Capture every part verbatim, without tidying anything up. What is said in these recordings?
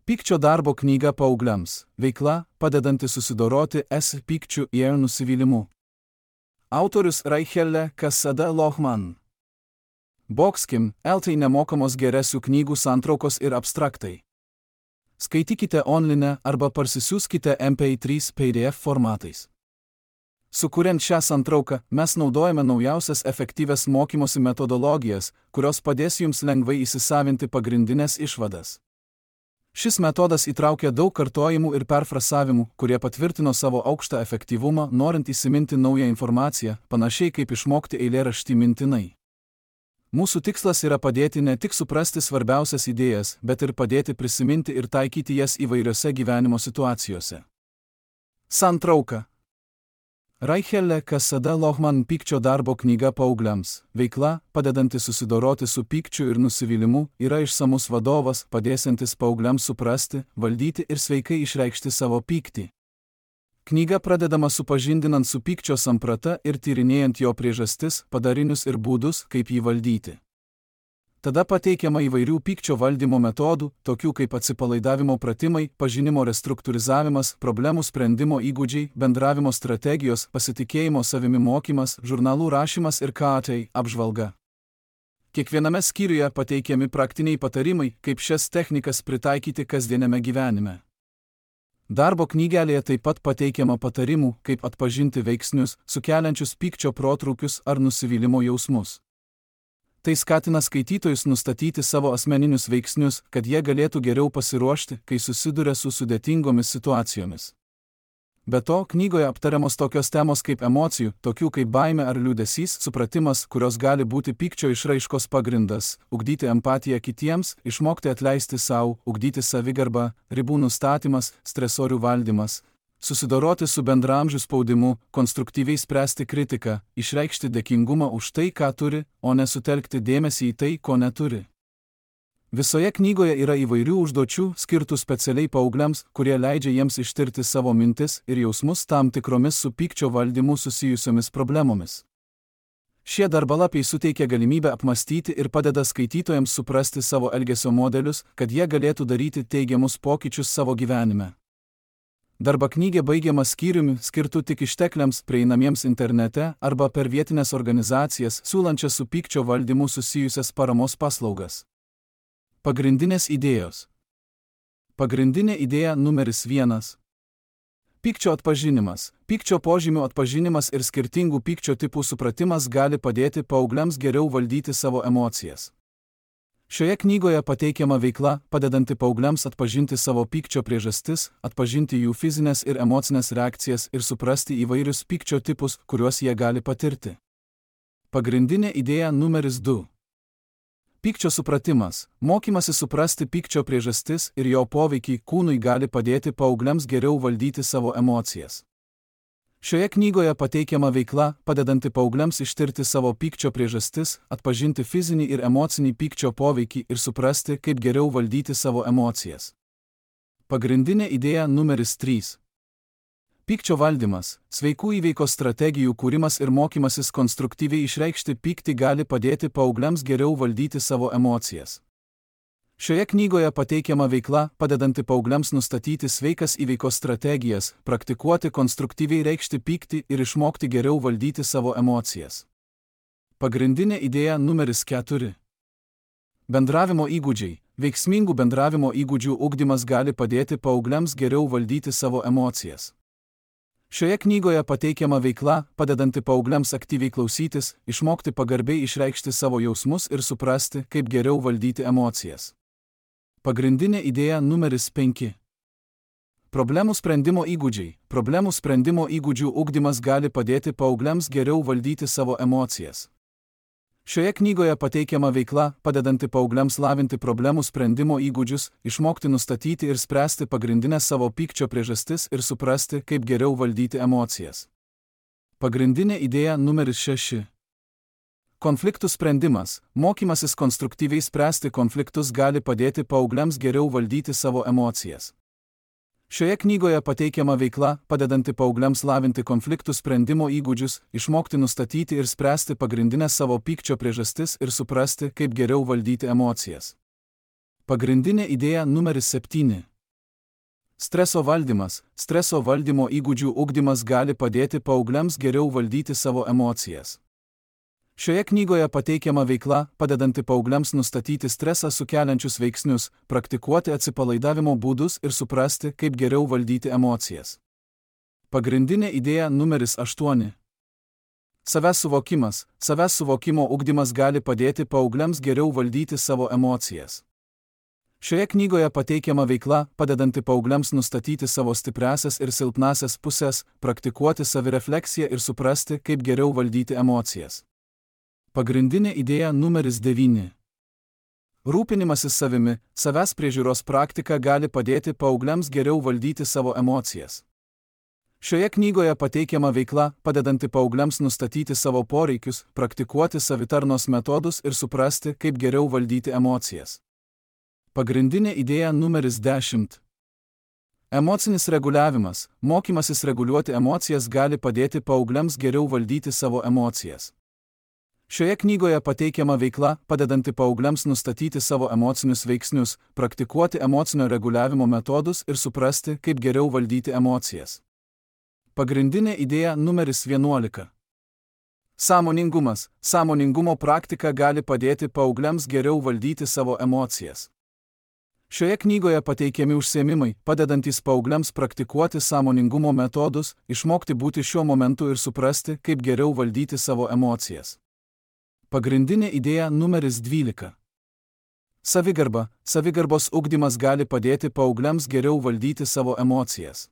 Pykčio darbo knyga paaugliams. Veikla, padedanti susidoroti S pykčiu ir nusivylimu. Autorius Raichelle Kasada Lohman. Boxkim, L tai nemokamos geresių knygų santraukos ir abstraktai. Skaitykite online arba parsisiųskite M P trys P D F formatais. Sukuriant šią santrauką, mes naudojame naujausias efektyvias mokymosi metodologijas, kurios padės jums lengvai įsisavinti pagrindinės išvadas. Šis metodas įtraukia daug kartojimų ir perfrasavimų, kurie patvirtino savo aukštą efektyvumą, norint įsiminti naują informaciją, panašiai kaip išmokti eilėraštį mintinai. Mūsų tikslas yra padėti ne tik suprasti svarbiausias idėjas, bet ir padėti prisiminti ir taikyti jas įvairiose gyvenimo situacijose. Santrauka. Raichelle Kasada Lohman Pykčio darbo knyga paaugliams. Veikla, padedanti susidoroti su pykčiu ir nusivylimu, yra išsamus vadovas, padėsiantis paaugliams suprasti, valdyti ir sveikai išreikšti savo pyktį. Knyga pradedama supažindinant su pykčio samprata ir tyrinėjant jo priežastis, padarinius ir būdus, kaip jį valdyti. Tada pateikiama įvairių pykčio valdymo metodų, tokių kaip atsipalaidavimo pratimai, pažinimo restruktūrizavimas, problemų sprendimo įgūdžiai, bendravimo strategijos, pasitikėjimo savimi mokymas, žurnalų rašymas ir K A T apžvalga. Kiekviename skyriuje pateikiami praktiniai patarimai, kaip šias technikas pritaikyti kasdieniame gyvenime. Darbo knygelėje taip pat pateikiama patarimų, kaip atpažinti veiksnius, sukeliančius pykčio protrūkius ar nusivylimo jausmus. Tai skatina skaitytojus nustatyti savo asmeninius veiksnius, kad jie galėtų geriau pasiruošti, kai susiduria su sudėtingomis situacijomis. Be to, knygoje aptariamos tokios temos kaip emocijų, tokių kaip baimė ar liūdesys, supratimas, kurios gali būti pykčio išraiškos pagrindas, ugdyti empatiją kitiems, išmokti atleisti savo, ugdyti savigarbą, ribų nustatymas, stresorių valdymas, susidoroti su bendraamžių spaudimu, konstruktyviai spręsti kritiką, išreikšti dėkingumą už tai, ką turi, o nesutelkti dėmesį į tai, ko neturi. Visoje knygoje yra įvairių užduočių, skirtų specialiai paaugliams, kurie leidžia jiems ištirti savo mintis ir jausmus tam tikromis su pykčio valdymu susijusiomis problemomis. Šie darbalapiai suteikia galimybę apmastyti ir padeda skaitytojams suprasti savo elgesio modelius, kad jie galėtų daryti teigiamus pokyčius savo gyvenime. Darba knygė baigiama skyriumi, skirtu tik ištekliams prieinamiems internete arba per vietinės organizacijas, siūlančias su pykčio valdymu susijusias paramos paslaugas. Pagrindinės idėjos. Pagrindinė idėja numeris vienas. Pykčio atpažinimas. Pykčio požymių atpažinimas ir skirtingų pykčio tipų supratimas gali padėti paaugliams geriau valdyti savo emocijas. Šioje knygoje pateikiama veikla, padedanti paaugliams atpažinti savo pykčio priežastis, atpažinti jų fizinės ir emocinės reakcijas ir suprasti įvairius pykčio tipus, kuriuos jie gali patirti. Pagrindinė idėja numeris du. Pykčio supratimas. Mokymasis suprasti pykčio priežastis ir jo poveikį kūnui gali padėti paaugliams geriau valdyti savo emocijas. Šioje knygoje pateikiama veikla, padedanti paaugliams ištirti savo pykčio priežastis, atpažinti fizinį ir emocinį pykčio poveikį ir suprasti, kaip geriau valdyti savo emocijas. Pagrindinė idėja numeris trys. Pykčio valdymas. Sveikų įveikos strategijų kūrimas ir mokymasis konstruktyviai išreikšti pyktį gali padėti paaugliams geriau valdyti savo emocijas. Šioje knygoje pateikiama veikla, padedanti paaugliams nustatyti sveikas įveikos strategijas, praktikuoti konstruktyviai reikšti pyktį ir išmokti geriau valdyti savo emocijas. Pagrindinė idėja numeris keturi. Bendravimo įgūdžiai. Veiksmingų bendravimo įgūdžių ugdymas gali padėti paaugliams geriau valdyti savo emocijas. Šioje knygoje pateikiama veikla, padedanti paaugliams aktyviai klausytis, išmokti pagarbiai išreikšti savo jausmus ir suprasti, kaip geriau valdyti emocijas. Pagrindinė idėja numeris penki. Problemų sprendimo įgūdžiai. Problemų sprendimo įgūdžių ugdymas gali padėti paaugliams geriau valdyti savo emocijas. Šioje knygoje pateikiama veikla, padedanti paaugliams lavinti problemų sprendimo įgūdžius, išmokti nustatyti ir spręsti pagrindinės savo pykčio priežastis ir suprasti, kaip geriau valdyti emocijas. Pagrindinė idėja numeris šeši. Konfliktų sprendimas. Mokymasis konstruktyviai spręsti konfliktus gali padėti paaugliams geriau valdyti savo emocijas. Šioje knygoje pateikiama veikla, padedanti paaugliams lavinti konfliktų sprendimo įgūdžius, išmokti nustatyti ir spręsti pagrindinės savo pykčio priežastis ir suprasti, kaip geriau valdyti emocijas. Pagrindinė idėja numeris septyni. Streso valdymas. Streso valdymo įgūdžių ugdymas gali padėti paaugliams geriau valdyti savo emocijas. Šioje knygoje pateikiama veikla, padedanti paaugliams nustatyti stresą sukeliančius veiksnius, praktikuoti atsipalaidavimo būdus ir suprasti, kaip geriau valdyti emocijas. Pagrindinė idėja numeris aštuoni. Savęs suvokimas. Savęs suvokimo ugdymas gali padėti paaugliams geriau valdyti savo emocijas. Šioje knygoje pateikiama veikla, padedanti paaugliams nustatyti savo stipriąsias ir silpnąsias pusės, praktikuoti savirefleksiją ir suprasti, kaip geriau valdyti emocijas. Pagrindinė idėja numeris devyni. Rūpinimasis savimi. Savęs priežiūros praktika gali padėti paaugliams geriau valdyti savo emocijas. Šioje knygoje pateikiama veikla, padedanti paaugliams nustatyti savo poreikius, praktikuoti savitarnos metodus ir suprasti, kaip geriau valdyti emocijas. Pagrindinė idėja numeris dešimt. Emocinis reguliavimas. Mokymasis reguliuoti emocijas gali padėti paaugliams geriau valdyti savo emocijas. Šioje knygoje pateikiama veikla, padedanti paaugliams nustatyti savo emocinius veiksnius, praktikuoti emocinio reguliavimo metodus ir suprasti, kaip geriau valdyti emocijas. Pagrindinė idėja numeris vienuolika. Sąmoningumas. Sąmoningumo praktika gali padėti paaugliams geriau valdyti savo emocijas. Šioje knygoje pateikiami užsiėmimai, padedantys paaugliams praktikuoti sąmoningumo metodus, išmokti būti šiuo momentu ir suprasti, kaip geriau valdyti savo emocijas. Pagrindinė idėja numeris dvylika. Savigarba. Savigarbos ugdymas gali padėti paaugliams geriau valdyti savo emocijas.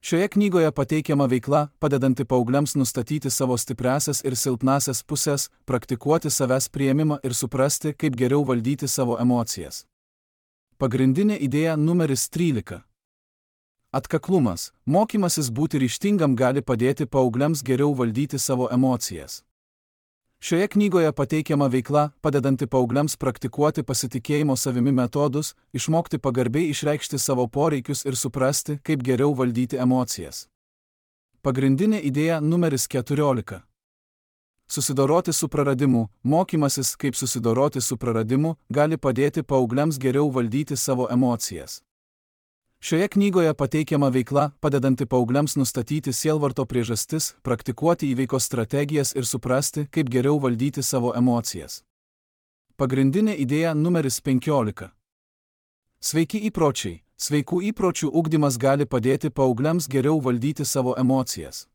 Šioje knygoje pateikiama veikla, padedanti paaugliams nustatyti savo stipriąsias ir silpnąsias pusės, praktikuoti savęs priėmimą ir suprasti, kaip geriau valdyti savo emocijas. Pagrindinė idėja numeris trylika. Atkaklumas. Mokymasis būti ryžtingam gali padėti paaugliams geriau valdyti savo emocijas. Šioje knygoje pateikiama veikla, padedanti paaugliams praktikuoti pasitikėjimo savimi metodus, išmokti pagarbiai išreikšti savo poreikius ir suprasti, kaip geriau valdyti emocijas. Pagrindinė idėja numeris keturiolika. Susidoroti su praradimu. Mokymasis, kaip susidoroti su praradimu, gali padėti paaugliams geriau valdyti savo emocijas. Šioje knygoje pateikiama veikla, padedanti paaugliams nustatyti sielvarto priežastis, praktikuoti įveikos strategijas ir suprasti, kaip geriau valdyti savo emocijas. Pagrindinė idėja numeris penkiolika. Sveiki įpročiai. Sveikų įpročių ugdymas gali padėti paaugliams geriau valdyti savo emocijas.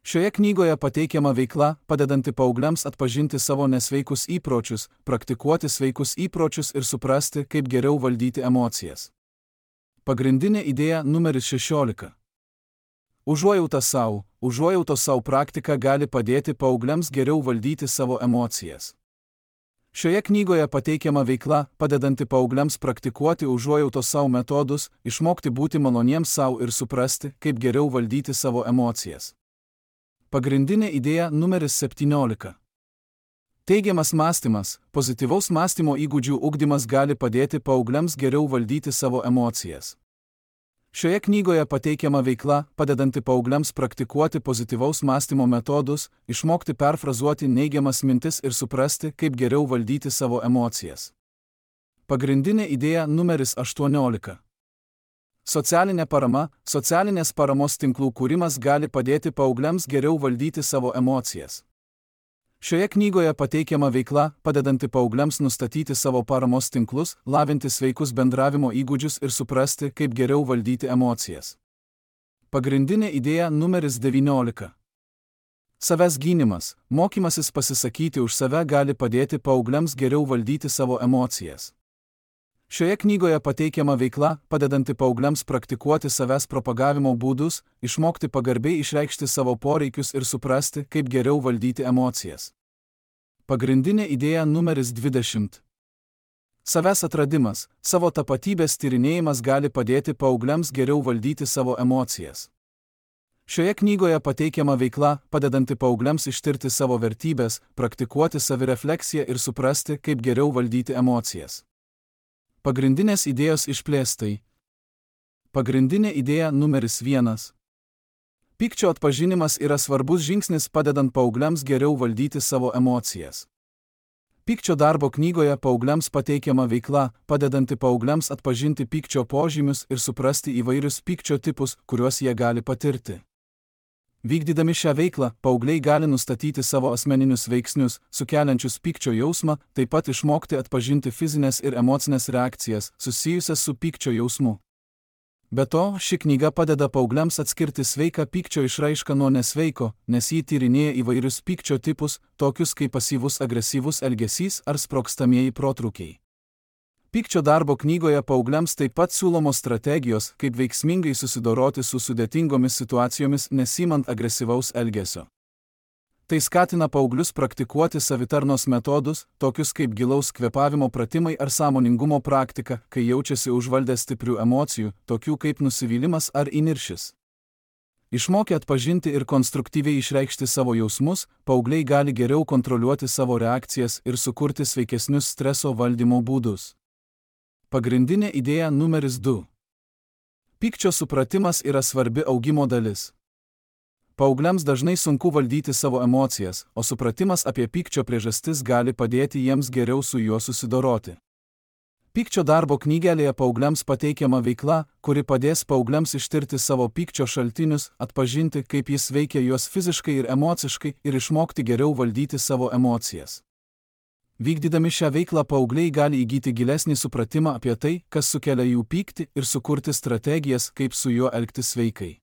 Šioje knygoje pateikiama veikla, padedanti paaugliams atpažinti savo nesveikus įpročius, praktikuoti sveikus įpročius ir suprasti, kaip geriau valdyti emocijas. Pagrindinė idėja numeris šešiolika. Užuojauta sau. Užuojautos sau praktika gali padėti paaugliams geriau valdyti savo emocijas. Šioje knygoje pateikiama veikla, padedanti paaugliams praktikuoti užuojautos sau metodus, išmokti būti maloniems sau ir suprasti, kaip geriau valdyti savo emocijas. Pagrindinė idėja numeris septyniolika. Teigiamas mąstymas. Pozityvaus mąstymo įgūdžių ugdymas gali padėti paaugliams geriau valdyti savo emocijas. Šioje knygoje pateikiama veikla, padedanti paaugliams praktikuoti pozityvaus mąstymo metodus, išmokti perfrazuoti neigiamas mintis ir suprasti, kaip geriau valdyti savo emocijas. Pagrindinė idėja numeris aštuoniolika. Socialinė parama. Socialinės paramos tinklų kūrimas gali padėti paaugliams geriau valdyti savo emocijas. Šioje knygoje pateikiama veikla, padedanti paaugliams nustatyti savo paramos tinklus, lavinti sveikus bendravimo įgūdžius ir suprasti, kaip geriau valdyti emocijas. Pagrindinė idėja numeris devyniolika. Savęs gynimas. Mokymasis pasisakyti už save gali padėti paaugliams geriau valdyti savo emocijas. Šioje knygoje pateikiama veikla, padedanti paaugliams praktikuoti savęs propagavimo būdus, išmokti pagarbiai išreikšti savo poreikius ir suprasti, kaip geriau valdyti emocijas. Pagrindinė idėja numeris dvidešimt. Savęs atradimas. Savo tapatybės tyrinėjimas gali padėti paaugliams geriau valdyti savo emocijas. Šioje knygoje pateikiama veikla, padedanti paaugliams ištirti savo vertybės, praktikuoti savirefleksiją ir suprasti, kaip geriau valdyti emocijas. Pagrindinės idėjos išplėstai. Pagrindinė idėja numeris vienas. Pykčio atpažinimas yra svarbus žingsnis padedant paaugliams geriau valdyti savo emocijas. Pykčio darbo knygoje paaugliams pateikiama veikla, padedanti paaugliams atpažinti pykčio požymius ir suprasti įvairius pykčio tipus, kuriuos jie gali patirti. Vykdydami šią veiklą, paaugliai gali nustatyti savo asmeninius veiksnius, sukeliančius pykčio jausmą, taip pat išmokti atpažinti fizinės ir emocinės reakcijas, susijusias su pykčio jausmu. Be to, ši knyga padeda paaugliams atskirti sveiką pykčio išraišką nuo nesveiko, nes jį tyrinėja įvairius pykčio tipus, tokius kaip pasyvus agresyvus elgesys ar sprogstamieji protrūkiai. Pykčio darbo knygoje paaugliams taip pat siūlomos strategijos, kaip veiksmingai susidoroti su sudėtingomis situacijomis nesimant agresyvaus elgesio. Tai skatina paauglius praktikuoti savitarnos metodus, tokius kaip gilaus kvėpavimo pratimai ar sąmoningumo praktika, kai jaučiasi užvaldę stiprių emocijų, tokių kaip nusivylimas ar įniršis. Išmokę atpažinti ir konstruktyviai išreikšti savo jausmus, paaugliai gali geriau kontroliuoti savo reakcijas ir sukurti sveikesnius streso valdymo būdus. Pagrindinė idėja numeris du. Pykčio supratimas yra svarbi augimo dalis. Paaugliams dažnai sunku valdyti savo emocijas, o supratimas apie pykčio priežastis gali padėti jiems geriau su juo susidoroti. Pykčio darbo knygelėje paaugliams pateikiama veikla, kuri padės paaugliams ištirti savo pykčio šaltinius, atpažinti, kaip jis veikia juos fiziškai ir emociškai ir išmokti geriau valdyti savo emocijas. Vykdydami šią veiklą paaugliai gali įgyti gilesnį supratimą apie tai, kas sukelia jų pyktį ir sukurti strategijas, kaip su juo elgtis sveikai.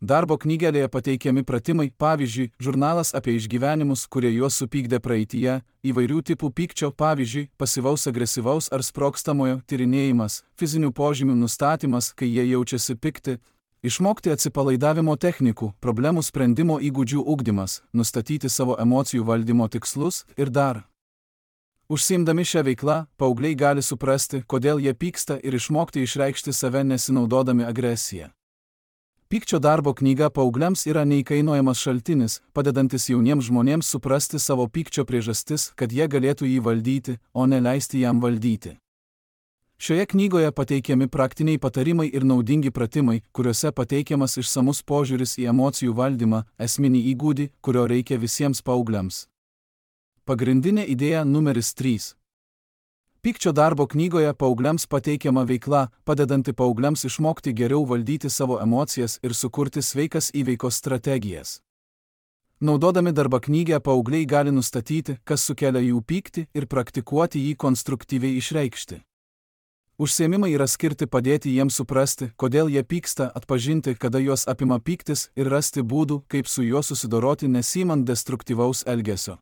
Darbo knygelėje pateikiami pratimai, pavyzdžiui, žurnalas apie išgyvenimus, kurie juos supykdė praeityje, įvairių tipų pykčio, pavyzdžiui, pasyvaus agresyvaus ar sprogstamojo tyrinėjimas, fizinių požymių nustatymas, kai jie jaučiasi pikti, išmokti atsipalaidavimo technikų, problemų sprendimo įgūdžių ugdymas, nustatyti savo emocijų valdymo tikslus ir dar. Užsiimdami šią veiklą, paaugliai gali suprasti, kodėl jie pyksta ir išmokti išreikšti save nesinaudodami agresiją. Pykčio darbo knyga paaugliams yra neįkainojamas šaltinis, padedantis jauniems žmonėms suprasti savo pykčio priežastis, kad jie galėtų jį valdyti, o ne leisti jam valdyti. Šioje knygoje pateikiami praktiniai patarimai ir naudingi pratimai, kuriuose pateikiamas išsamus požiūris į emocijų valdymą, esminį įgūdį, kurio reikia visiems paaugliams. Pagrindinė idėja numeris trys. Pykčio darbo knygoje paaugliams pateikiama veikla, padedanti paaugliams išmokti geriau valdyti savo emocijas ir sukurti sveikas įveikos strategijas. Naudodami darbo knygę paaugliai gali nustatyti, kas sukelia jų pyktį ir praktikuoti jį konstruktyviai išreikšti. Užsiėmimai yra skirti padėti jiems suprasti, kodėl jie pyksta, atpažinti, kada juos apima pyktis ir rasti būdų, kaip su juo susidoroti nesimant destruktyvaus elgesio.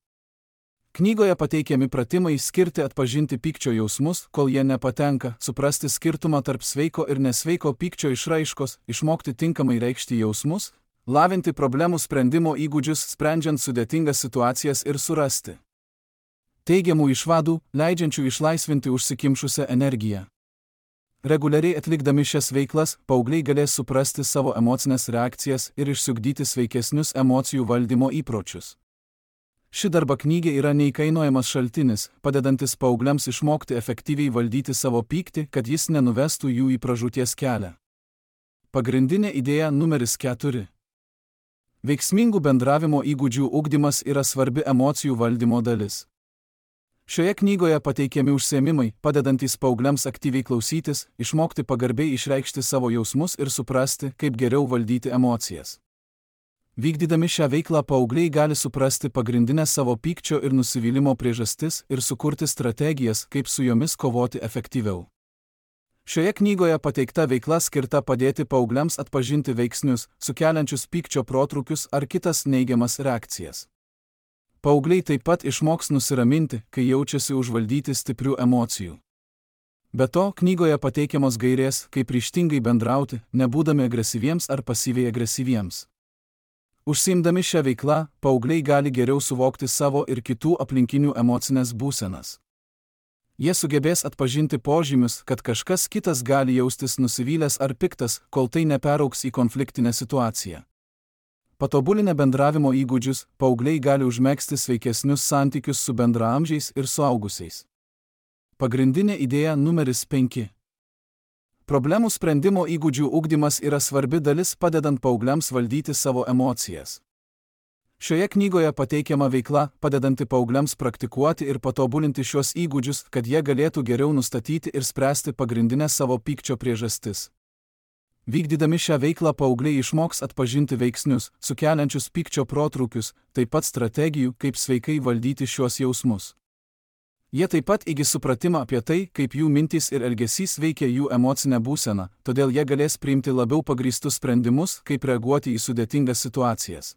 Knygoje pateikiami pratimai skirti atpažinti pykčio jausmus, kol jie nepatenka, suprasti skirtumą tarp sveiko ir nesveiko pykčio išraiškos, išmokti tinkamai reikšti jausmus, lavinti problemų sprendimo įgūdžius, sprendžiant sudėtingas situacijas ir surasti teigiamų išvadų, leidžiančių išlaisvinti užsikimšusią energiją. Reguliariai atlikdami šias veiklas, paaugliai galės suprasti savo emocinės reakcijas ir išsiugdyti sveikesnius emocijų valdymo įpročius. Ši darbo knygė yra neįkainojamas šaltinis, padedantis paaugliams išmokti efektyviai valdyti savo pyktį, kad jis nenuvestų jų į pražūties kelią. Pagrindinė idėja numeris keturi. Veiksmingų bendravimo įgūdžių ugdymas yra svarbi emocijų valdymo dalis. Šioje knygoje pateikiami užsiėmimai, padedantys paaugliams aktyviai klausytis, išmokti pagarbiai išreikšti savo jausmus ir suprasti, kaip geriau valdyti emocijas. Vykdydami šią veiklą paaugliai gali suprasti pagrindinės savo pykčio ir nusivylimo priežastis ir sukurti strategijas, kaip su jomis kovoti efektyviau. Šioje knygoje pateikta veikla skirta padėti paaugliams atpažinti veiksnius, sukeliančius pykčio protrūkius ar kitas neigiamas reakcijas. Paaugliai taip pat išmoks nusiraminti, kai jaučiasi užvaldyti stiprių emocijų. Be to, knygoje pateikiamos gairės, kaip ryžtingai bendrauti, nebūdami agresyviems ar pasyviai agresyviems. Užsiimdami šią veiklą, paaugliai gali geriau suvokti savo ir kitų aplinkinių emocinės būsenas. Jie sugebės atpažinti požymius, kad kažkas kitas gali jaustis nusivylęs ar piktas, kol tai neperaugs į konfliktinę situaciją. Patobulinę bendravimo įgūdžius, paaugliai gali užmegzti sveikesnius santykius su bendraamžiais ir suaugusiais. Pagrindinė idėja numeris penki. Problemų sprendimo įgūdžių ugdymas yra svarbi dalis padedant paaugliams valdyti savo emocijas. Šioje knygoje pateikiama veikla, padedanti paaugliams praktikuoti ir patobulinti šios įgūdžius, kad jie galėtų geriau nustatyti ir spręsti pagrindinės savo pykčio priežastis. Vykdydami šią veiklą paaugliai išmoks atpažinti veiksnius, sukeliančius pykčio protrūkius, taip pat strategijų, kaip sveikai valdyti šios jausmus. Jie taip pat įgis supratimą apie tai, kaip jų mintys ir elgesys veikia jų emocinę būseną, todėl jie galės priimti labiau pagrįstus sprendimus, kaip reaguoti į sudėtingas situacijas.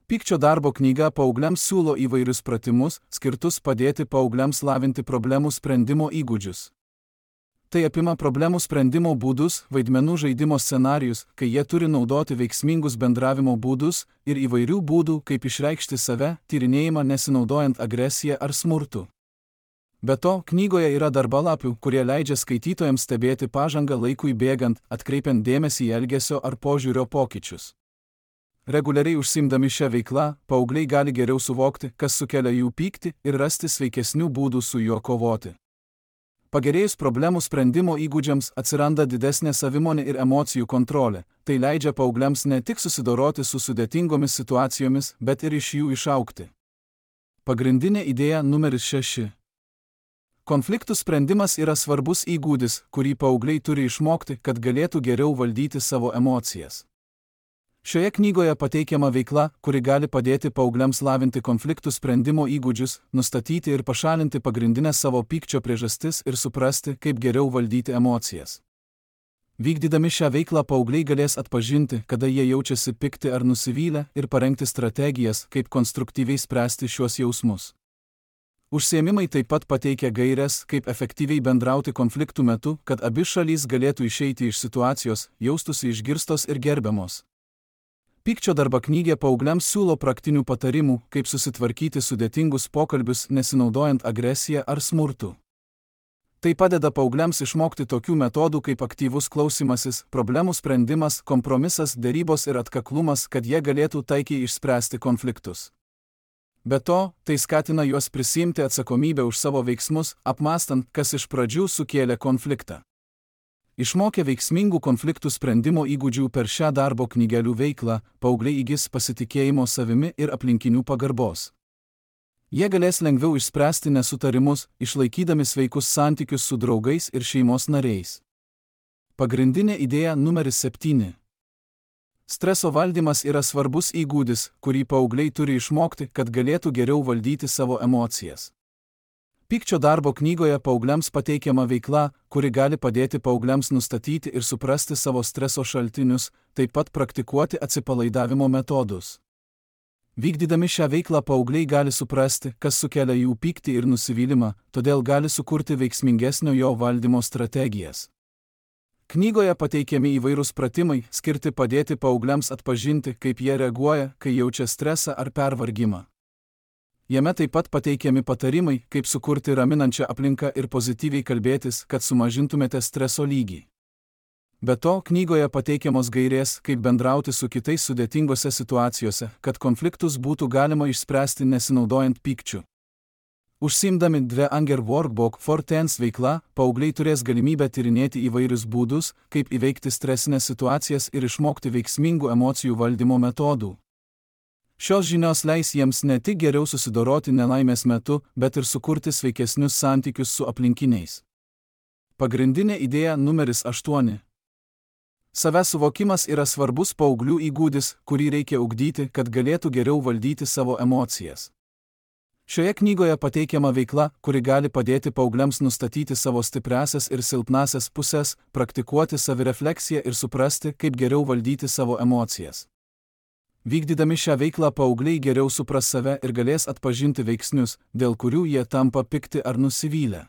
Pykčio darbo knyga paaugliams siūlo įvairius pratimus, skirtus padėti paaugliams lavinti problemų sprendimo įgūdžius. Tai apima problemų sprendimo būdus, vaidmenų žaidimo scenarijus, kai jie turi naudoti veiksmingus bendravimo būdus ir įvairių būdų, kaip išreikšti save, tyrinėjimą nesinaudojant agresiją ar smurtu. Be to, knygoje yra darbalapių, kurie leidžia skaitytojams stebėti pažangą laikui bėgant, atkreipiant dėmesį į elgesio ar požiūrio pokyčius. Reguliariai užsiimdami šią veiklą, paaugliai gali geriau suvokti, kas sukelia jų pyktį ir rasti sveikesnių būdų su juo kovoti. Pagerėjus problemų sprendimo įgūdžiams atsiranda didesnė savimonė ir emocijų kontrolė. Tai leidžia paaugliams ne tik susidoroti su sudėtingomis situacijomis, bet ir iš jų išaugti. Pagrindinė idėja numeris šeši. Konfliktų sprendimas yra svarbus įgūdis, kurį paaugliai turi išmokti, kad galėtų geriau valdyti savo emocijas. Šioje knygoje pateikiama veikla, kuri gali padėti paaugliams lavinti konfliktų sprendimo įgūdžius, nustatyti ir pašalinti pagrindinės savo pykčio priežastis ir suprasti, kaip geriau valdyti emocijas. Vykdydami šią veiklą paaugliai galės atpažinti, kada jie jaučiasi pikti ar nusivylę ir parengti strategijas, kaip konstruktyviai spręsti šios jausmus. Užsiėmimai taip pat pateikia gaires, kaip efektyviai bendrauti konfliktų metu, kad abi šalys galėtų išeiti iš situacijos, jaustųsi išgirstos ir gerbiamos. Pykčio darbo knygė paaugliams siūlo praktinių patarimų, kaip susitvarkyti sudėtingus pokalbius nesinaudojant agresiją ar smurtu. Tai padeda paaugliams išmokti tokių metodų kaip aktyvus klausymasis, problemų sprendimas, kompromisas, derybos ir atkaklumas, kad jie galėtų taikiai išspręsti konfliktus. Be to, tai skatina juos prisiimti atsakomybę už savo veiksmus, apmąstant, kas iš pradžių sukėlė konfliktą. Išmokę veiksmingų konfliktų sprendimo įgūdžių per šią darbo knygelių veiklą, paaugliai įgis pasitikėjimo savimi ir aplinkinių pagarbos. Jie galės lengviau išspręsti nesutarimus, išlaikydami sveikus santykius su draugais ir šeimos nariais. Pagrindinė idėja numeris septyni. Streso valdymas yra svarbus įgūdis, kurį paaugliai turi išmokti, kad galėtų geriau valdyti savo emocijas. Pykčio darbo knygoje paaugliams pateikiama veikla, kuri gali padėti paaugliams nustatyti ir suprasti savo streso šaltinius, taip pat praktikuoti atsipalaidavimo metodus. Vykdydami šią veiklą paaugliai gali suprasti, kas sukelia jų pyktį ir nusivylimą, todėl gali sukurti veiksmingesnio jo valdymo strategijas. Knygoje pateikiami įvairūs pratimai, skirti padėti paaugliams atpažinti, kaip jie reaguoja, kai jaučia stresą ar pervargimą. Jame taip pat pateikiami patarimai, kaip sukurti raminančią aplinką ir pozityviai kalbėtis, kad sumažintumėte streso lygį. Be to, knygoje pateikiamos gairės, kaip bendrauti su kitais sudėtingose situacijose, kad konfliktus būtų galima išspręsti nesinaudojant pykčiu. Užsiimdami dve Anger Workbook for Teens veikla, paaugliai turės galimybę tyrinėti įvairius būdus, kaip įveikti stresinės situacijas ir išmokti veiksmingų emocijų valdymo metodų. Šios žinios leis jiems ne tik geriau susidoroti nelaimės metu, bet ir sukurti sveikesnius santykius su aplinkiniais. Pagrindinė idėja numeris aštuoni. Savęs suvokimas yra svarbus paauglių įgūdis, kurį reikia ugdyti, kad galėtų geriau valdyti savo emocijas. Šioje knygoje pateikiama veikla, kuri gali padėti paaugliams nustatyti savo stipriąsias ir silpnąsias pusės, praktikuoti savirefleksiją ir suprasti, kaip geriau valdyti savo emocijas. Vykdydami šią veiklą paaugliai geriau supras save ir galės atpažinti veiksnius, dėl kurių jie tampa pikti ar nusivylę.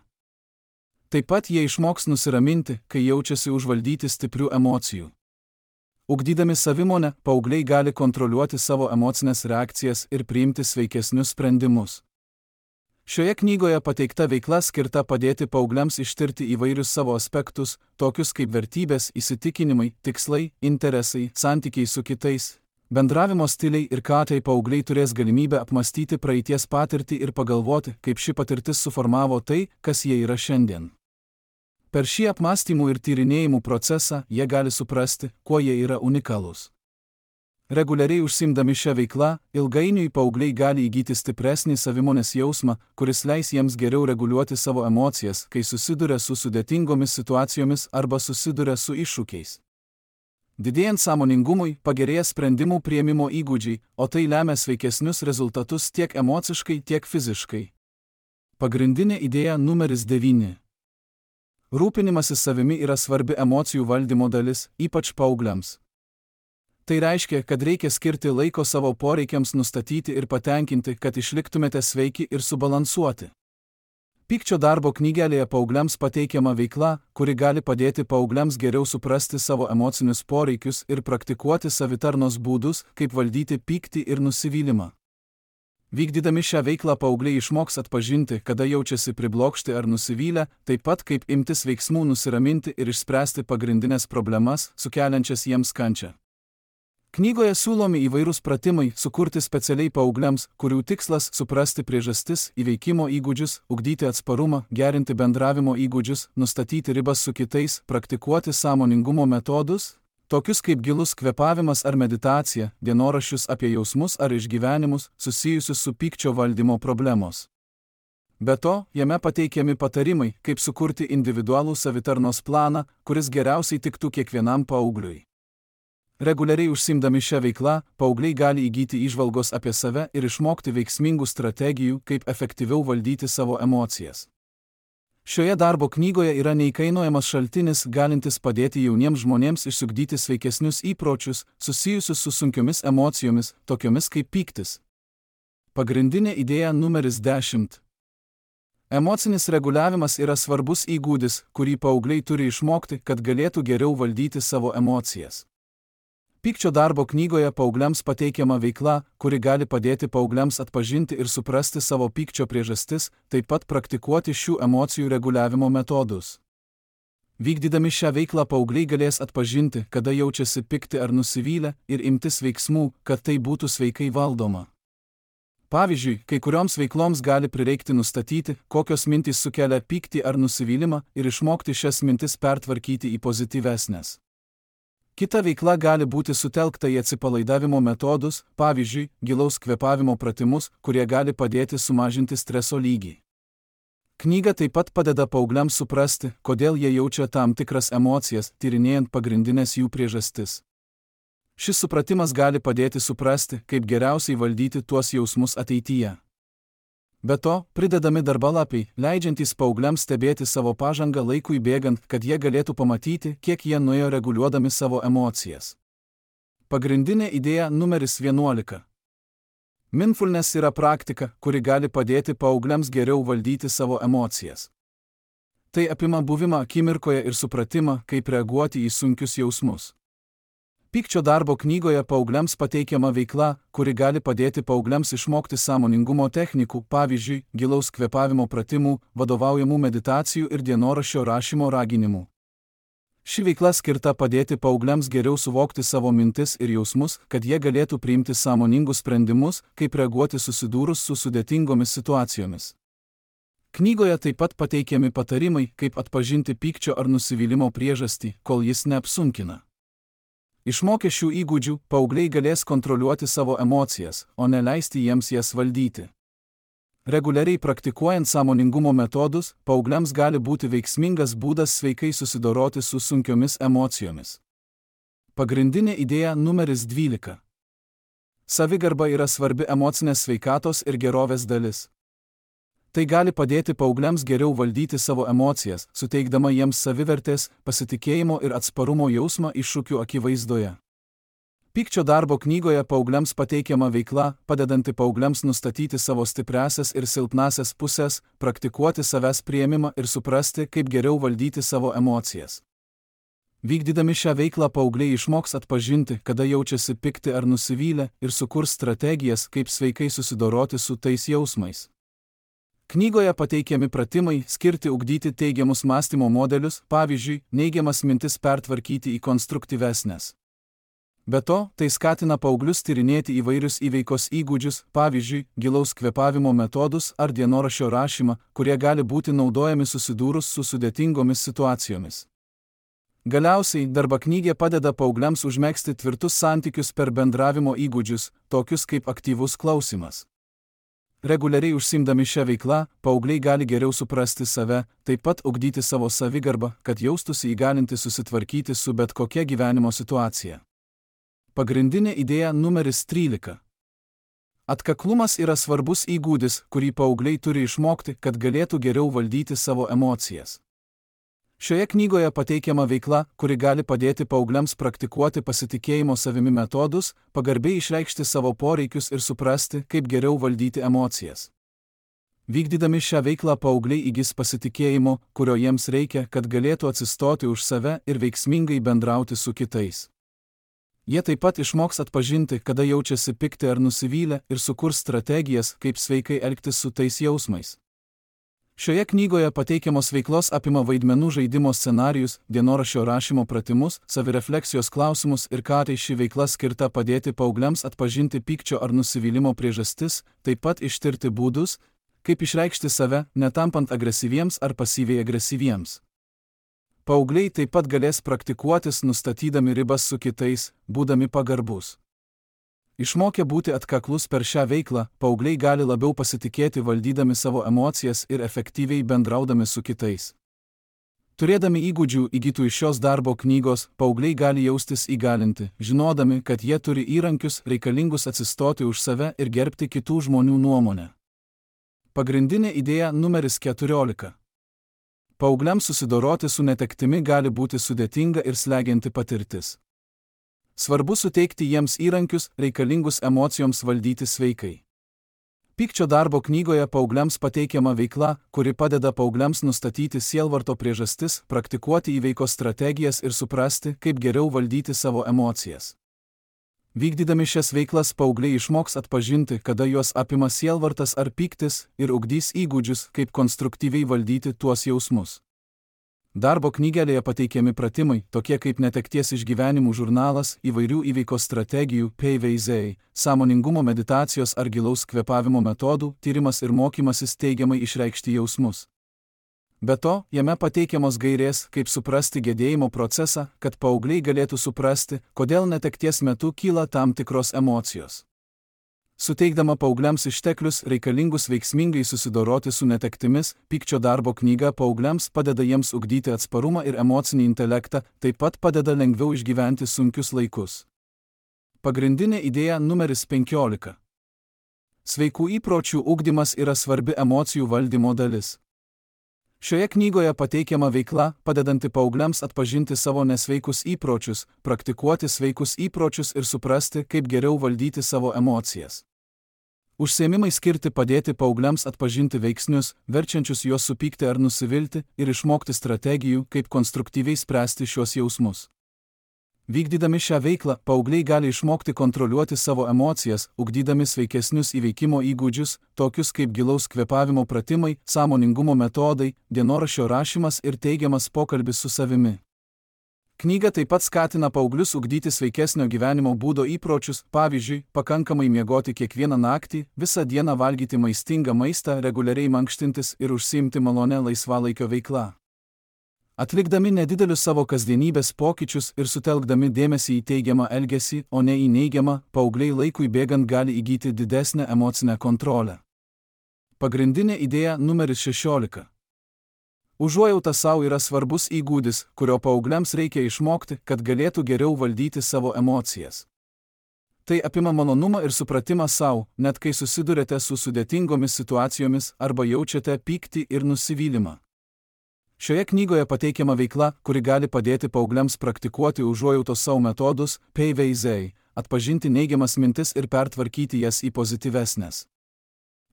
Taip pat jie išmoks nusiraminti, kai jaučiasi užvaldyti stiprių emocijų. Ugdydami savimonę, paaugliai gali kontroliuoti savo emocinės reakcijas ir priimti sveikesnius sprendimus. Šioje knygoje pateikta veikla skirta padėti paaugliams ištirti įvairius savo aspektus, tokius kaip vertybės, įsitikinimai, tikslai, interesai, santykiai su kitais, bendravimo stiliai ir ką tai paaugliai turės galimybę apmastyti praeities patirtį ir pagalvoti, kaip ši patirtis suformavo tai, kas jie yra šiandien. Per šį apmąstymų ir tyrinėjimų procesą jie gali suprasti, kuo jie yra unikalūs. Reguliariai užsiimdami šią veiklą, ilgainiui paaugliai gali įgyti stipresnį savimonės jausmą, kuris leis jiems geriau reguliuoti savo emocijas, kai susiduria su sudėtingomis situacijomis arba susiduria su iššūkiais. Didėjant sąmoningumui, pagerėja sprendimų priėmimo įgūdžiai, o tai lemia sveikesnius rezultatus tiek emociškai, tiek fiziškai. Pagrindinė idėja numeris devyni. Rūpinimasis savimi yra svarbi emocijų valdymo dalis, ypač paaugliams. Tai reiškia, kad reikia skirti laiko savo poreikiams nustatyti ir patenkinti, kad išliktumėte sveiki ir subalansuoti. Pykčio darbo knygelėje paaugliams pateikiama veikla, kuri gali padėti paaugliams geriau suprasti savo emocinius poreikius ir praktikuoti savitarnos būdus, kaip valdyti pyktį ir nusivylimą. Vykdydami šią veiklą paaugliai išmoks atpažinti, kada jaučiasi priblokšti ar nusivylę, taip pat kaip imtis veiksmų nusiraminti ir išspręsti pagrindinės problemas, sukeliančias jiems kančią. Knygoje siūlomi įvairūs pratimai sukurti specialiai paaugliams, kurių tikslas suprasti priežastis, įveikimo įgūdžius, ugdyti atsparumą, gerinti bendravimo įgūdžius, nustatyti ribas su kitais, praktikuoti sąmoningumo metodus, tokius kaip gilus kvėpavimas ar meditacija, dienoraščius apie jausmus ar išgyvenimus, susijusius su pykčio valdymo problemos. Be to, jame pateikiami patarimai, kaip sukurti individualų savitarnos planą, kuris geriausiai tiktų kiekvienam paaugliui. Reguliariai užsiimdami šią veiklą, paaugliai gali įgyti įžvalgos apie save ir išmokti veiksmingų strategijų, kaip efektyviau valdyti savo emocijas. Šioje darbo knygoje yra neįkainojamas šaltinis, galintis padėti jauniems žmonėms išsiugdyti sveikesnius įpročius, susijusius su sunkiomis emocijomis, tokiomis kaip pyktis. Pagrindinė idėja numeris dešimt. Emocinis reguliavimas yra svarbus įgūdis, kurį paaugliai turi išmokti, kad galėtų geriau valdyti savo emocijas. Pykčio darbo knygoje paaugliams pateikiama veikla, kuri gali padėti paaugliams atpažinti ir suprasti savo pykčio priežastis, taip pat praktikuoti šių emocijų reguliavimo metodus. Vykdydami šią veiklą paaugliai galės atpažinti, kada jaučiasi pikti ar nusivylę, ir imtis veiksmų, kad tai būtų sveikai valdoma. Pavyzdžiui, kai kurioms veikloms gali prireikti nustatyti, kokios mintys sukelia pyktį ar nusivylimą ir išmokti šias mintis pertvarkyti į pozityvesnes. Kita veikla gali būti sutelkta į atsipalaidavimo metodus, pavyzdžiui, gilaus kvėpavimo pratimus, kurie gali padėti sumažinti streso lygį. Knyga taip pat padeda paaugliams suprasti, kodėl jie jaučia tam tikras emocijas, tyrinėjant pagrindinės jų priežastis. Šis supratimas gali padėti suprasti, kaip geriausiai valdyti tuos jausmus ateityje. Be to, pridedami darbalapiai, leidžiantys paaugliams stebėti savo pažangą laikui bėgant, kad jie galėtų pamatyti, kiek jie nuėjo reguliuodami savo emocijas. Pagrindinė idėja numeris vienuolika. Mindfulness yra praktika, kuri gali padėti paaugliams geriau valdyti savo emocijas. Tai apima buvimą akimirkoje ir supratimą, kaip reaguoti į sunkius jausmus. Pykčio darbo knygoje paaugliams pateikiama veikla, kuri gali padėti paaugliams išmokti sąmoningumo technikų, pavyzdžiui, gilaus kvėpavimo pratimų, vadovaujamų meditacijų ir dienoraščio rašymo raginimų. Ši veikla skirta padėti paaugliams geriau suvokti savo mintis ir jausmus, kad jie galėtų priimti sąmoningus sprendimus, kaip reaguoti susidūrus su sudėtingomis situacijomis. Knygoje taip pat pateikiami patarimai, kaip atpažinti pykčio ar nusivylimo priežastį, kol jis neapsunkina. Išmokę šių įgūdžių, paaugliai galės kontroliuoti savo emocijas, o ne leisti jiems jas valdyti. Reguliariai praktikuojant sąmoningumo metodus, paaugliams gali būti veiksmingas būdas sveikai susidoroti su sunkiomis emocijomis. Pagrindinė idėja numeris dvylika. Savigarba yra svarbi emocinės sveikatos ir gerovės dalis. Tai gali padėti paaugliams geriau valdyti savo emocijas, suteikdama jiems savivertės, pasitikėjimo ir atsparumo jausmą iššūkių akivaizdoje. Pykčio darbo knygoje paaugliams pateikiama veikla, padedanti paaugliams nustatyti savo stipriąsias ir silpnąsias pusės, praktikuoti savęs priėmimą ir suprasti, kaip geriau valdyti savo emocijas. Vykdydami šią veiklą paaugliai išmoks atpažinti, kada jaučiasi pikti ar nusivylę, ir sukurs strategijas, kaip sveikai susidoroti su tais jausmais. Knygoje pateikiami pratimai skirti ugdyti teigiamus mąstymo modelius, pavyzdžiui, neigiamas mintis pertvarkyti į konstruktyvesnes. Be to, tai skatina paauglius tyrinėti įvairius įveikos įgūdžius, pavyzdžiui, gilaus kvėpavimo metodus ar dienoraščio rašymą, kurie gali būti naudojami susidūrus su sudėtingomis situacijomis. Galiausiai darbaknygė padeda paaugliams užmegzti tvirtus santykius per bendravimo įgūdžius, tokius kaip aktyvus klausimas. Reguliariai užsiimdami šią veiklą, paaugliai gali geriau suprasti save, taip pat ugdyti savo savigarbą, kad jaustųsi įgalinti susitvarkyti su bet kokia gyvenimo situacija. Pagrindinė idėja numeris trylika. Atkaklumas yra svarbus įgūdis, kurį paaugliai turi išmokti, kad galėtų geriau valdyti savo emocijas. Šioje knygoje pateikiama veikla, kuri gali padėti paaugliams praktikuoti pasitikėjimo savimi metodus, pagarbiai išreikšti savo poreikius ir suprasti, kaip geriau valdyti emocijas. Vykdydami šią veiklą paaugliai įgis pasitikėjimo, kurio jiems reikia, kad galėtų atsistoti už save ir veiksmingai bendrauti su kitais. Jie taip pat išmoks atpažinti, kada jaučiasi pikti ar nusivylę, ir sukurs strategijas, kaip sveikai elgtis su tais jausmais. Šioje knygoje pateikiamos veiklos apima vaidmenų žaidimo scenarijus, dienoraščio rašymo pratimus, savirefleksijos klausimus ir ką tai ši veikla skirta padėti paaugliams atpažinti pykčio ar nusivylimo priežastis, taip pat ištirti būdus, kaip išreikšti save, netampant agresyviems ar pasyviai agresyviems. Paaugliai taip pat galės praktikuotis nustatydami ribas su kitais, būdami pagarbus. Išmokę būti atkaklus per šią veiklą, paaugliai gali labiau pasitikėti valdydami savo emocijas ir efektyviai bendraudami su kitais. Turėdami įgūdžių įgytų iš šios darbo knygos, paaugliai gali jaustis įgalinti, žinodami, kad jie turi įrankius reikalingus atsistoti už save ir gerbti kitų žmonių nuomonę. Pagrindinė idėja numeris keturiolika. Paaugliams susidoroti su netektimi gali būti sudėtinga ir slegianti patirtis. Svarbu suteikti jiems įrankius, reikalingus emocijoms valdyti sveikai. Pykčio darbo knygoje paaugliams pateikiama veikla, kuri padeda paaugliams nustatyti sielvarto priežastis, praktikuoti įveikos strategijas ir suprasti, kaip geriau valdyti savo emocijas. Vykdydami šias veiklas paaugliai išmoks atpažinti, kada juos apima sielvartas ar pyktis, ir ugdys įgūdžius, kaip konstruktyviai valdyti tuos jausmus. Darbo knygelėje pateikiami pratimai, tokie kaip netekties išgyvenimų žurnalas, įvairių įveikos strategijų, P V Z, sąmoningumo meditacijos ar gilaus kvėpavimo metodų, tyrimas ir mokymasis teigiamai išreikšti jausmus. Be to, jame pateikiamos gairės, kaip suprasti gedėjimo procesą, kad paaugliai galėtų suprasti, kodėl netekties metu kyla tam tikros emocijos. Suteikdama paaugliams išteklius reikalingus veiksmingai susidoroti su netektimis, pykčio darbo knyga paaugliams padeda jiems ugdyti atsparumą ir emocinį intelektą, taip pat padeda lengviau išgyventi sunkius laikus. Pagrindinė idėja numeris penkiolika. Sveikų įpročių ugdymas yra svarbi emocijų valdymo dalis. Šioje knygoje pateikiama veikla, padedanti paaugliams atpažinti savo nesveikus įpročius, praktikuoti sveikus įpročius ir suprasti, kaip geriau valdyti savo emocijas. Užsiėmimai skirti padėti paaugliams atpažinti veiksnius, verčiančius juos supykti ar nusivilti, ir išmokti strategijų, kaip konstruktyviai spręsti šios jausmus. Vykdydami šią veiklą, paaugliai gali išmokti kontroliuoti savo emocijas, ugdydami sveikesnius įveikimo įgūdžius, tokius kaip gilaus kvėpavimo pratimai, sąmoningumo metodai, dienoraščio rašymas ir teigiamas pokalbis su savimi. Knyga taip pat skatina paauglius ugdyti sveikesnio gyvenimo būdo įpročius, pavyzdžiui, pakankamai miegoti kiekvieną naktį, visą dieną valgyti maistingą maistą, reguliariai mankštintis ir užsiimti malonę laisvalaikio veiklą. Atlikdami nedidelius savo kasdienybės pokyčius ir sutelkdami dėmesį į teigiamą elgesį, o ne į neigiamą, paaugliai laikui bėgant gali įgyti didesnę emocinę kontrolę. Pagrindinė idėja numeris šešiolika. Užuojauta savo yra svarbus įgūdis, kurio paaugliams reikia išmokti, kad galėtų geriau valdyti savo emocijas. Tai apima malonumą ir supratimą savo, net kai susidurėte su sudėtingomis situacijomis arba jaučiate pyktį ir nusivylimą. Šioje knygoje pateikiama veikla, kuri gali padėti paaugliams praktikuoti užuojautos savo metodus, P V Z, atpažinti neigiamas mintis ir pertvarkyti jas į pozityvesnes.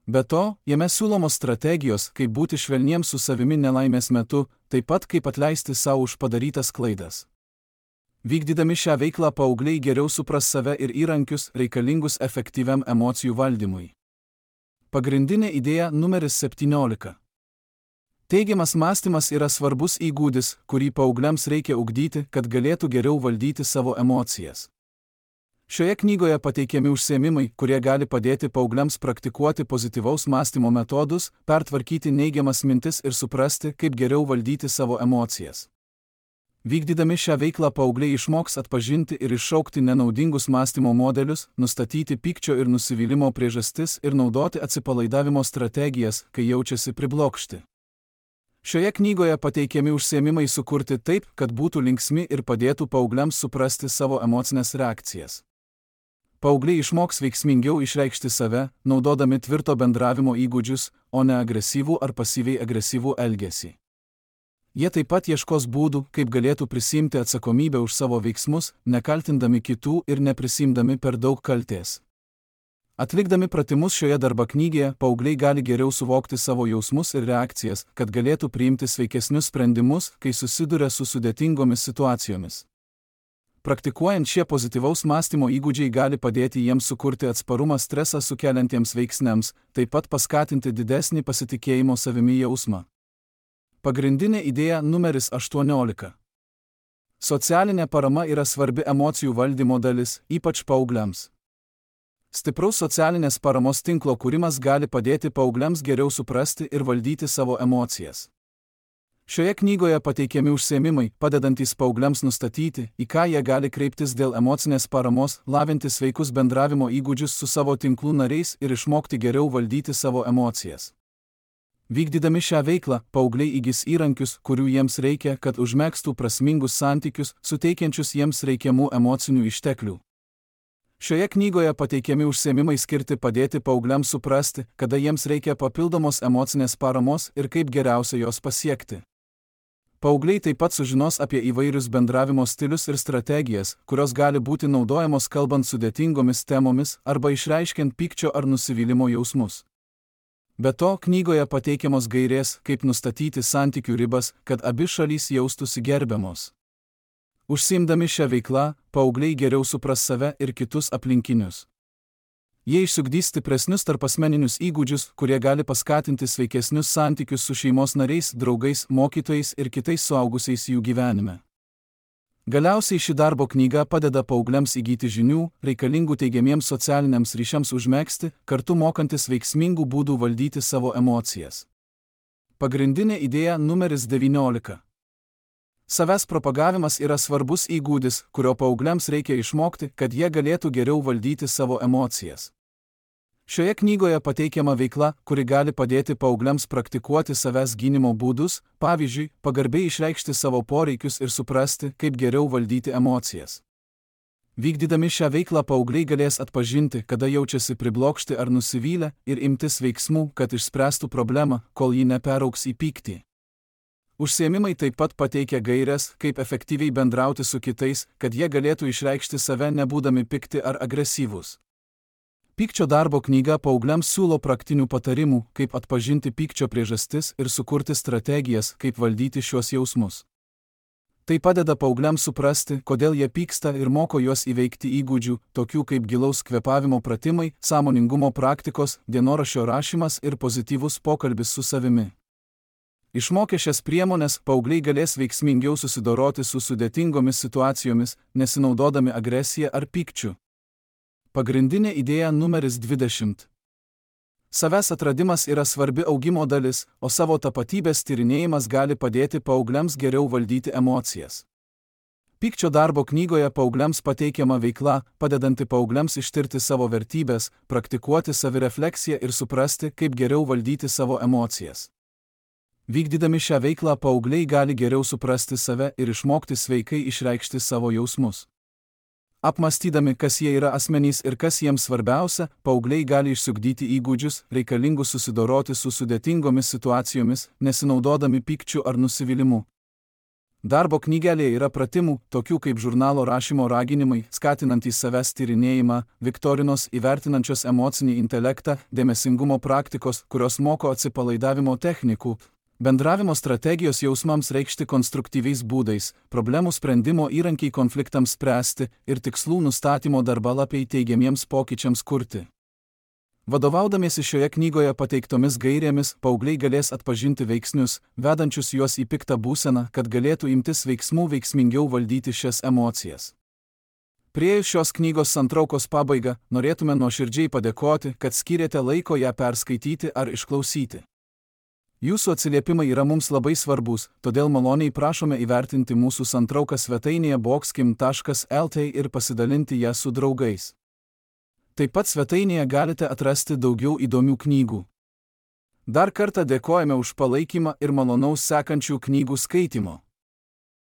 Be to, jame siūlomos strategijos, kaip būti švelniems su savimi nelaimės metu, taip pat kaip atleisti savo už padarytas klaidas. Vykdydami šią veiklą paaugliai geriau supras save ir įrankius reikalingus efektyviam emocijų valdymui. Pagrindinė idėja numeris septyniolika. Teigiamas mąstymas yra svarbus įgūdis, kurį paaugliams reikia ugdyti, kad galėtų geriau valdyti savo emocijas. Šioje knygoje pateikiami užsiėmimai, kurie gali padėti paaugliams praktikuoti pozityvaus mąstymo metodus, pertvarkyti neigiamas mintis ir suprasti, kaip geriau valdyti savo emocijas. Vykdydami šią veiklą paaugliai išmoks atpažinti ir iššaukti nenaudingus mąstymo modelius, nustatyti pykčio ir nusivylimo priežastis ir naudoti atsipalaidavimo strategijas, kai jaučiasi priblokšti. Šioje knygoje pateikiami užsiėmimai sukurti taip, kad būtų linksmi ir padėtų paaugliams suprasti savo emocinės reakcijas. Paaugliai išmoks veiksmingiau išreikšti save, naudodami tvirto bendravimo įgūdžius, o ne agresyvų ar pasyviai agresyvų elgesį. Jie taip pat ieškos būdų, kaip galėtų prisiimti atsakomybę už savo veiksmus, nekaltindami kitų ir neprisimdami per daug kaltės. Atlikdami pratimus šioje darbo knygoje, paaugliai gali geriau suvokti savo jausmus ir reakcijas, kad galėtų priimti sveikesnius sprendimus, kai susiduria su sudėtingomis situacijomis. Praktikuojant šie pozityvaus mąstymo įgūdžiai gali padėti jiems sukurti atsparumą stresą sukeliantiems veiksniams, taip pat paskatinti didesnį pasitikėjimo savimi jausmą. Pagrindinė idėja numeris aštuoniolika. Socialinė parama yra svarbi emocijų valdymo dalis, ypač paaugliams. Stipraus socialinės paramos tinklo kūrimas gali padėti paaugliams geriau suprasti ir valdyti savo emocijas. Šioje knygoje pateikiami užsiėmimai, padedantys paaugliams nustatyti, į ką jie gali kreiptis dėl emocinės paramos, lavinti sveikus bendravimo įgūdžius su savo tinklų nariais ir išmokti geriau valdyti savo emocijas. Vykdydami šią veiklą, paaugliai įgis įrankius, kurių jiems reikia, kad užmegztų prasmingus santykius, suteikiančius jiems reikiamų emocinių išteklių. Šioje knygoje pateikiami užsiėmimai skirti padėti paaugliams suprasti, kada jiems reikia papildomos emocinės paramos ir kaip geriausia jos pasiekti. Paaugliai taip pat sužinos apie įvairius bendravimo stilius ir strategijas, kurios gali būti naudojamos kalbant sudėtingomis temomis arba išreiškiant pykčio ar nusivylimo jausmus. Be to, knygoje pateikiamos gairės, kaip nustatyti santykių ribas, kad abi šalys jaustųsi gerbiamos. Užsiimdami šią veiklą, paaugliai geriau supras save ir kitus aplinkinius. Jie išsiugdys stipresnius tarpasmeninius įgūdžius, kurie gali paskatinti sveikesnius santykius su šeimos nariais, draugais, mokytojais ir kitais suaugusiais jų gyvenime. Galiausiai ši darbo knyga padeda paaugliams įgyti žinių, reikalingų teigiamiems socialiniams ryšiams užmegzti, kartu mokantis veiksmingų būdų valdyti savo emocijas. Pagrindinė idėja numeris devyniolika. Savęs propagavimas yra svarbus įgūdis, kurio paaugliams reikia išmokti, kad jie galėtų geriau valdyti savo emocijas. Šioje knygoje pateikiama veikla, kuri gali padėti paaugliams praktikuoti savęs gynimo būdus, pavyzdžiui, pagarbiai išreikšti savo poreikius ir suprasti, kaip geriau valdyti emocijas. Vykdydami šią veiklą paaugliai galės atpažinti, kada jaučiasi priblokšti ar nusivylę ir imtis veiksmų, kad išspręstų problemą, kol ji neperaugs į pyktį. Užsiėmimai taip pat pateikia gaires, kaip efektyviai bendrauti su kitais, kad jie galėtų išreikšti save nebūdami pikti ar agresyvūs. Pykčio darbo knyga paaugliams siūlo praktinių patarimų, kaip atpažinti pykčio priežastis ir sukurti strategijas, kaip valdyti šiuos jausmus. Tai padeda paaugliams suprasti, kodėl jie pyksta ir moko juos įveikti įgūdžių, tokių kaip gilaus kvėpavimo pratimai, sąmoningumo praktikos, dienoraščio rašymas ir pozityvus pokalbis su savimi. Išmokę šias priemones, paaugliai galės veiksmingiau susidoroti su sudėtingomis situacijomis, nesinaudodami agresiją ar pykčiu. Pagrindinė idėja numeris dvidešimt. Savęs atradimas yra svarbi augimo dalis, o savo tapatybės tyrinėjimas gali padėti paaugliams geriau valdyti emocijas. Pykčio darbo knygoje paaugliams pateikiama veikla, padedanti paaugliams ištirti savo vertybės, praktikuoti savirefleksiją ir suprasti, kaip geriau valdyti savo emocijas. Vykdydami šią veiklą paaugliai gali geriau suprasti save ir išmokti sveikai išreikšti savo jausmus. Apmąstydami, kas jie yra asmenys ir kas jiems svarbiausia, paaugliai gali išsiugdyti įgūdžius, reikalingus susidoroti su sudėtingomis situacijomis, nesinaudodami pykčiu ar nusivylimu. Darbo knygelėje yra pratimų, tokių kaip žurnalo rašymo raginimai, skatinantys savęs tyrinėjimą, viktorinos įvertinančios emocinį intelektą, dėmesingumo praktikos, kurios moko atsipalaidavimo technikų, bendravimo strategijos jausmams reikšti konstruktyviais būdais, problemų sprendimo įrankiai konfliktams spręsti ir tikslų nustatymo darbalapiai teigiamiems pokyčiams kurti. Vadovaudamiesi šioje knygoje pateiktomis gairėmis, paaugliai galės atpažinti veiksnius, vedančius juos į piktą būseną, kad galėtų imtis veiksmų veiksmingiau valdyti šias emocijas. Priėjus šios knygos santraukos pabaigą, norėtume nuoširdžiai padėkoti, kad skyrėte laiko ją perskaityti ar išklausyti. Jūsų atsiliepimai yra mums labai svarbus, todėl maloniai prašome įvertinti mūsų santrauką svetainėje boxkim taškas el tė ir pasidalinti ją su draugais. Taip pat svetainėje galite atrasti daugiau įdomių knygų. Dar kartą dėkojame už palaikymą ir malonaus sekančių knygų skaitymo.